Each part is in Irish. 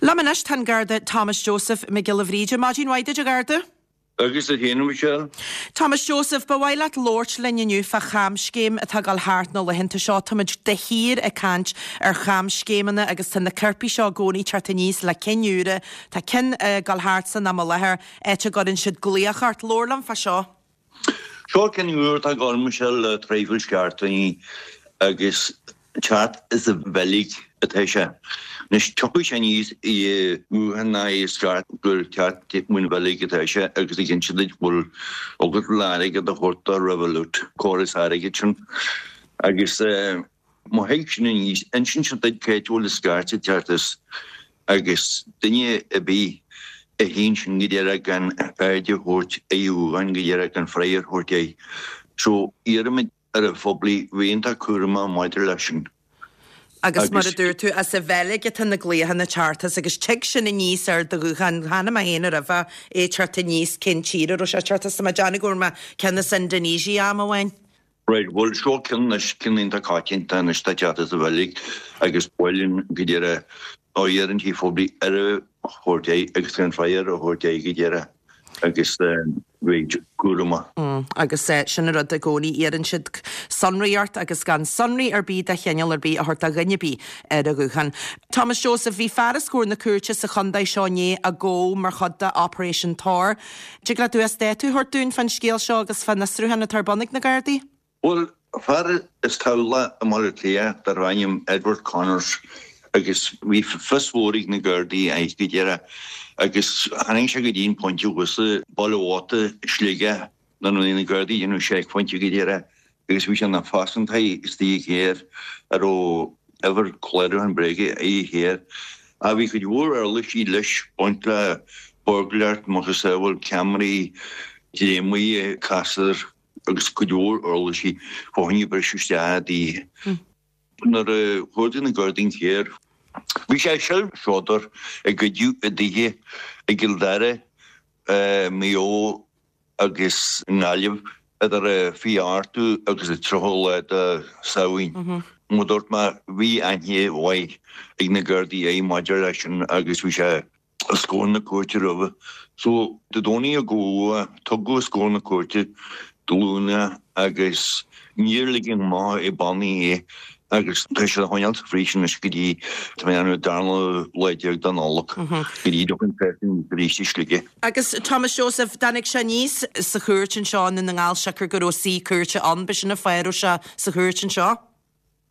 Liom anois tá an Garda Thomas Joseph Mac Giolla Bhríde. Maidin mhaith duit, a Gharda. Agus duit féin, a Mhichelle. Thomas Joseph, ba mhaith leat labhairt linn inniu fá chamscéim atá ag dul thart na laethanta seo. Táimid de shíor ag caint ar chamscéimeanna agus tá na coirpigh seo i gcónaí ag teacht aníos le cinn úra. Tá ceann ag dul thart san am i láthair, áit a gcuireann siad glaoch ort. Labhair liom fá seo. Seo ceann úr atá ag dul, Michelle, le traidhfil seachtainí agus teacht as an Bheilg atá sé. Anois tiocfaidh sé aníos i nguthán ná i scairt gur teacht ón Bheilg atá sé agus ag inse duit go bhfuil agat le airgead a thabhairt do Revolut, córas airgid sin. Agus má thig sin aníos, insíonn sé duit cá háit a bhfuil an scairt ag teacht as agus duine ar bith a tchíonn sin go díreach gan aird a thabhairt ar a ghuthán go díreach gan freagra a thabhairt air. So iarraimid ar an phoiblí bheith iontach cúramach maidir leis sin. Agus mar a dúirt tú, as an Bheilg atá na glaochanna ag teacht as agus tig sin aníos ar do ghuthán. Chonaic mé féin roimhe é ag teacht aníos cén tír a raibh sé ag teacht as. Tá mé ag déanamh go bhfuair mé ceann as Indonesia am amháin. Right, bhuel seo ceann anois, ceann iontach coitianta anois atá ag teacht as an Bheilg agus buaileann go díreach á iarrann an phoiblí aire a thabhairt air agus gan freagra a thabhairt air go díreach agus bheith cúramach. Agus sin an rud i gcónaí, iarrann siad sonraí ort agus gan sonraí ar bith de chineál ar bith a thabhairt do dhuine ar bith ar an ghuthán. Thomas Joseph, bhí fear os comhair na cúirte sa chontae seo inné a gabhadh mar chuid de Operation Tor. Dtig leat uasdátú a thabhairt dúinn fán scéal seo agus fán fhiosrúchán atá ar bun ag na Gardaí? Bhuel, fear as Tamhlacht i mBaile Átha Cliath darbh ainm Edward Connors agus bhí fios mhór ag na Gardaí air go díreach agus tháinig sé go dtí an pointe thuas i Baile Mhóta, Sligeach nuair a bhí na Gardaí ag déanamh seicphointe go díreach agus bhí sé ina phearsantaí istigh i gcarr a raibh uimhir clárúcháin bréige ar an charr. Ach bhí cuid mhór uirlisí leis, baint le buirgléireacht, macasamhail ceamaraí, dréimire, casúr agus cuid mhór uirlisí fá choinne briseadh isteach i dtithe. Nuair a chuardaigh na Gardaí an carr, bhí sé ag seilbh a goideadh i dtithe i gCill Dara, Maigh Eo agus i nGaillimh idir an 28ú agus an 30ú lá de Samhain. Mar a dúirt mé, bhí aithne mhaith ag na Gardaí air maidir leis sin agus bhí sé os comhair na cúirte roimhe. So, Dé Domhnaigh a gabhadh é, tugadh os comhair na cúirte Dé Luain é agus níor ligeadh amach ar bannaí é agus tá sé á choinneáil sa phríosún anois go dtí, tá mé ag déanamh, an darna lá déag de Nollaig, go dtí a dtiocfaidh an cás aníos arís i Sligeach. Agus Thomas Joseph, dtáinig sé aníos sa chúirt anseo i nDún na nGall siocair go raibh suí cúirte ann, b'shin an fáth a raibh sé sa chúirt anseo?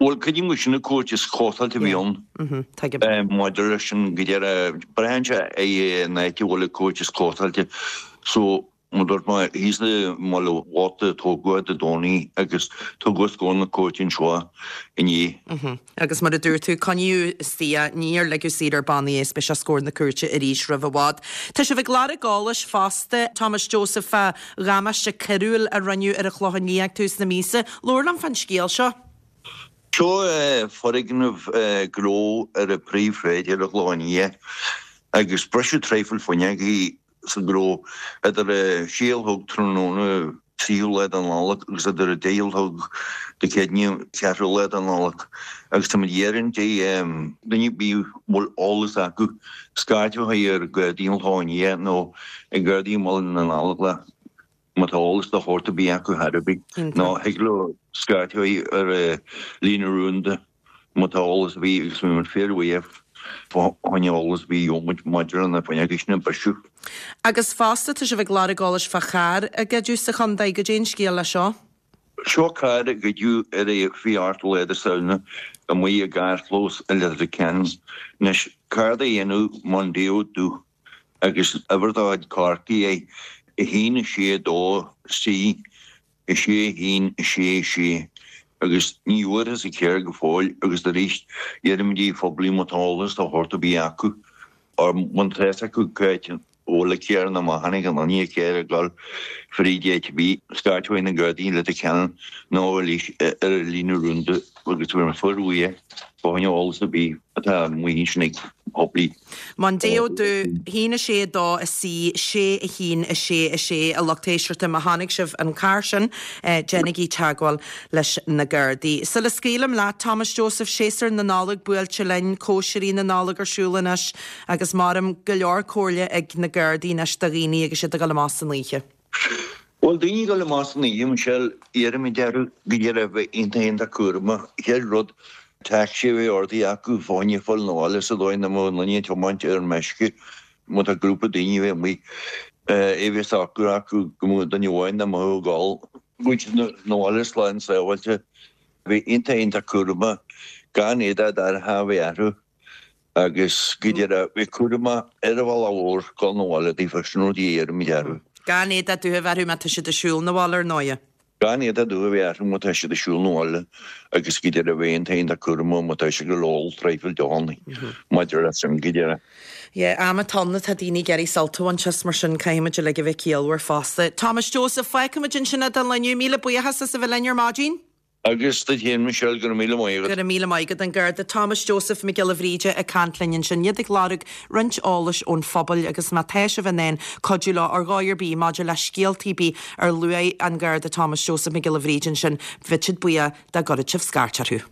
Bhuel, creidim gur sin an cúirt is cótáilte a bhí ann maidir leis sin go deireadh. Braitheann sé ar an áit a bhfuil an cúirt is cótáilte. So, mar a dúirt mé, thíos i mBaile Mhóta a tógadh é Dé Domhnaigh agus tugadh os comhair na cúirte anseo inné. Agus mar a dúirt tú, coinníodh istigh é, níor ligeadh saor ar bannaí é is beidh sé os comhair na cúirte arís roimh i bhfad. Tá sibh ag lorg eolais fosta, Thomas Joseph, fá dhamáiste coiriúil a rinneadh ar an Chlochán Liath ag tús na míosa. Labhair liom fán scéal seo. Seo foirgneamh gnó ar an bpríomhshráid ar an Chlochán Liath agus briseadh traidhfil fuinneogaí sa ghnó idir a sé a chlog tráthnóna 3ú lá de Nollaig agus idir a 10 a chlog Dé Céadaoine 4ú lá de Nollaig agus táimid ag iarraidh ar dhuine ar bith a bhfuil eolas acu scairt a chur ar Ghardaí an Chlocháin Liath nó ar Ghardaí i mBaile na nGallóglach má tá eolas de shórt ar bith acu chor ar bith nó thig leo scairt a chur ar líne rúnda. Má tá eolas ar bith agus beidh muid fíorbhuíoch fá choinne eolas ar bith a gheobhaidh muid maidir le na fuinneoga sin a briseadh. Agus fosta, tá sibh ag lorg eolais fá charr a goideadh sa chontae. Goidé an scéal le seo? Seo carr a goideadh ar an 28ú lá de Samhna amuigh i gcarrchlós i Leitir Ceanainn. Anois, carr de dhéanamh Mondeo dubh agus uimhir de chuid Chorcaí é, 1 6 2 C 6 1 6 6 agus ní bhfuarthas an carr go fóill agus arís iarraimid ar an phoiblí má tá eolas de shórt ar bith acu or má tá fhios acu cá háit a bhfuil an carr nó má chonaic aon duine an carr ag dul fríd áit ar bith, scairt chuig na Gardaí i Leitir Ceanainn nó arís ar an líne rúnda agus beidh muid fíorbhuíoch fá choinne eolas ar bith atá amuigh ansin ag an phoiblí. Mondeo dubh, 1 6 2 C 6 1 6 6 A lucht éisteachta, má chonaic sibh an carr sin, déanaigí teagmháil leis na Gardaí. Sula scaoilim leat, Thomas Joseph, séasúr na Nollag buailte linn, cóisirí na Nollag ar siúl anois agus maram go leor comhairle ag na Gardaí anois do dhaoine agus iad ag dul amach san oíche. Bhuel, daoine ag dul amach san oíche, Michelle, iarraimid orthu go díreach a bheith iontach iontach cúramach. Chéad rud, tacsaí a bheith ordaithe acu fá choinne fáil 'na bhaile sa dóigh nach mbeadh aon duine ag tiomáint ar meisce. Má tá grúpa daoine a bheith amuigh, é bheith socair acu go mbeadh duine amháin nach mbeadh ag ól. Go bhfuil siad 'na bhaile slán sábháilte. Bheith iontach iontach cúramach gan éadach dorcha a bheith orthu. Agus go díreach, bheith cúramach ar an bhealach mhór dul 'na bhaile daofa, sin rud a iarraimid orthu. Gan éadach dubh a bheith orthu má tá siad ag siúl 'na bhaile ar ndóighe. Gan éadach dubh a bheith orthu má tá siad ag siúl 'na bhaile agus go díreach bheith iontach iontach cúramach má tá siad ag ól traidhfil deochanna maidir leis sin go díreach. Yeah, am atá ann atá daoine ag iarraidh sult a bhaint as mar sin caithfimid uilig a bheith ciallmhar fosta. Thomas Joseph, fágfaimid ansin é don lá inniu. Míle buíochas as a bheith linn ar maidin. Agus duit féin, Michelle, go raibh míle maith agat. Go raibh míle maith agat. An Garda Thomas Joseph Mac Giolla Bhríde ag caint linn ansin. Iad ag lorg roinnt eolais ón phobal agus má tá sibh in ann cuidiú leo ar dhóigh ar bith maidir le scéaltaí ar bith ar luaigh an Garda Thomas Joseph Mac Giolla Bhríde ansin, bheadh siad buíoch dá gcuirfeadh sibh scairt orthu.